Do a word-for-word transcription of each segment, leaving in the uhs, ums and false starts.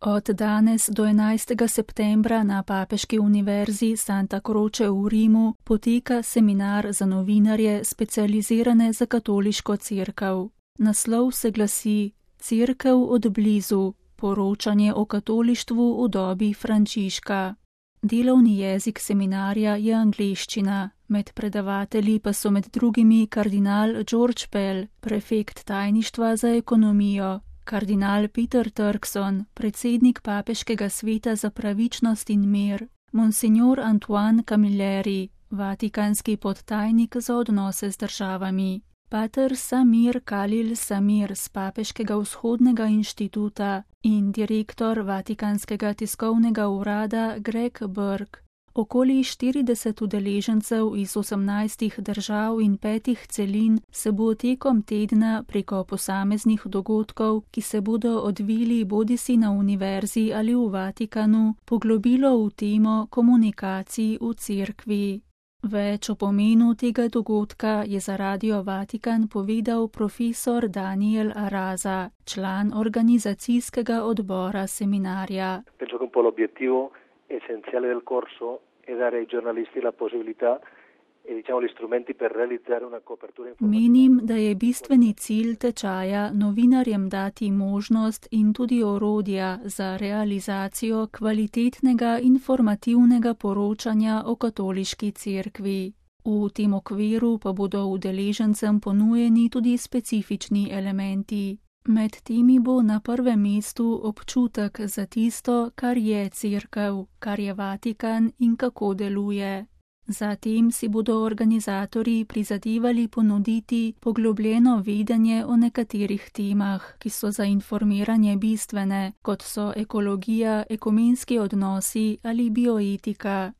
Od danes do enajstega septembra na Papeški univerzi Santa Croce v Rimu poteka seminar za novinarje specializirane za katoliško cerkev. Naslov se glasi Cerkev od blizu, poročanje o katolištvu v dobi Frančiška. Delovni jezik seminarja je angleščina, med predavatelji pa so med drugimi kardinal George Pell, prefekt tajništva za ekonomijo, kardinal Peter Turkson, predsednik Papeškega sveta za pravičnost in mir, monsignor Antoine Camilleri, vatikanski podtajnik za odnose z državami, pater Samir Khalil Samir z Papeškega vzhodnega inštituta in direktor Vatikanskega tiskovnega urada Greg Burke. Okoli štirideset udeležencev iz osemnajstih držav in petih celin se bo tekom tedna preko posameznih dogodkov, ki se bodo odvili bodisi na univerzi ali v Vatikanu, poglobilo v temo komunikacij v cerkvi. Več o pomenu tega dogodka je za Radio Vatikan povedal profesor Daniel Araza, član organizacijskega odbora seminarja. Penso che un po' l'obiettivo essenziale del corso è dare ai giornalisti la possibilità e diciamo gli strumenti per realizzare una copertura informativa. Menim, da je bistveni cilj tečaja novinarjem dati možnost in tudi orodja za realizacijo kvalitetnega informativnega poročanja o katoliški cerkvi. V tem okviru pa bodo udeležencem ponujeni tudi specifični elementi. Med temi bo na prvem mestu občutek za tisto, kar je cerkev, kar je Vatikan in kako deluje. Zatem si bodo organizatorji prizadevali ponuditi poglobljeno vedenje o nekaterih temah, ki so za informiranje bistvene, kot so ekologija, ekumenski odnosi ali bioetika.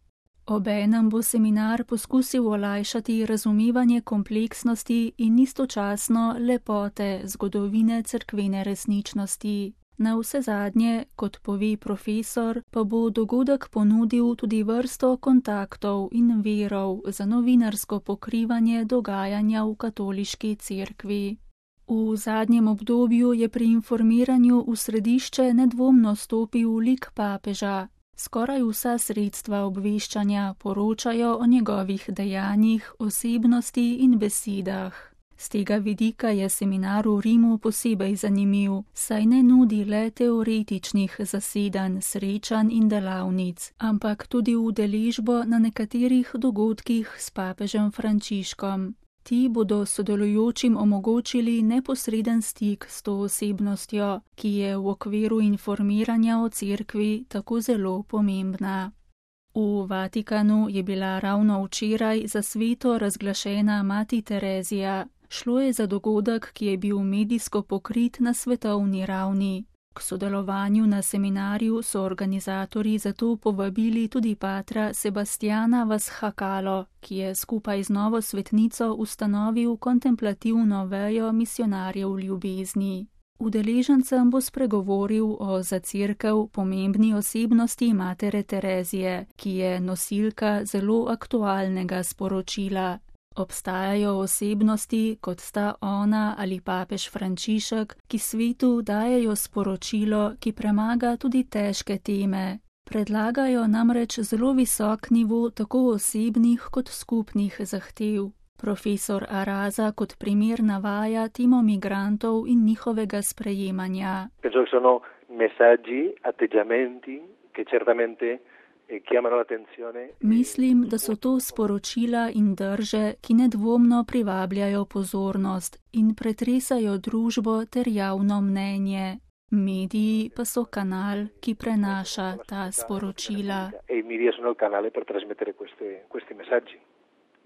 Obenem bo seminar poskusil olajšati razumevanje kompleksnosti in istočasno lepote zgodovine cerkvene resničnosti. Navsezadnje, kot pove profesor, pa bo dogodek ponudil tudi vrsto kontaktov in virov za novinarsko pokrivanje dogajanja v katoliški cerkvi. V zadnjem obdobju je pri informiranju v središče nedvomno stopil lik papeža. Skoraj vsa sredstva obveščanja poročajo o njegovih dejanjih, osebnosti in besedah. Z tega vidika je seminar v Rimu posebej zanimiv, saj ne nudi le teoretičnih zasedanj, srečanj in delavnic, ampak tudi udeležbo na nekaterih dogodkih s papežem Frančiškom. Ti bodo sodelujočim omogočili neposreden stik s to osebnostjo, ki je v okviru informiranja o cerkvi tako zelo pomembna. V Vatikanu je bila ravno včeraj za sveto razglašena mati Terezija. Šlo je za dogodek, ki je bil medijsko pokrit na svetovni ravni. K sodelovanju na seminarju so organizatorji zato povabili tudi patra Sebastiana Vashakalo, ki je skupaj z novo svetnico ustanovil kontemplativno vejo misionarjev ljubezni. Udeležencem bo spregovoril o za cerkev pomembni osebnosti matere Terezije, ki je nosilka zelo aktualnega sporočila. Obstajajo osebnosti, kot sta ona ali papež Frančišek, ki svetu dajejo sporočilo, ki premaga tudi težke teme. Predlagajo namreč zelo visok nivo tako osebnih kot skupnih zahtev. Profesor Araza kot primer navaja temo migrantov in njihovega sprejemanja. Penso che sono messaggi, atteggiamenti, che certamente Mislim, da so to sporočila in drže, ki nedvomno privabljajo pozornost in pretresajo družbo ter javno mnenje. Mediji pa so kanal, ki prenaša ta sporočila. E i media sono il canale per trasmettere questi, questi messaggi.